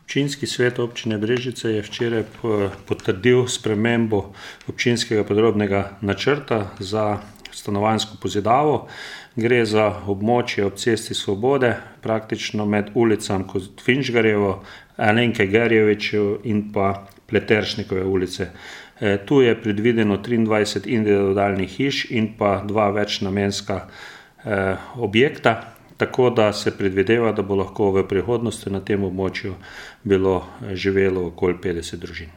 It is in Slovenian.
Občinski svet občine Brežice je včeraj potrdil spremembo občinskega podrobnega načrta za stanovanjsko pozidavo. Gre za območje ob Cesti Svobode, praktično med ulicami Finžgarjevo, Alenke Gerjevič in pa Pleteršnikove ulice. Tu je predvideno 23 individualnih hiš in pa 2 večnamenska objekta. Tako da se predvideva, da bo lahko v prihodnosti na tem območju bilo živelo okoli 50 družin.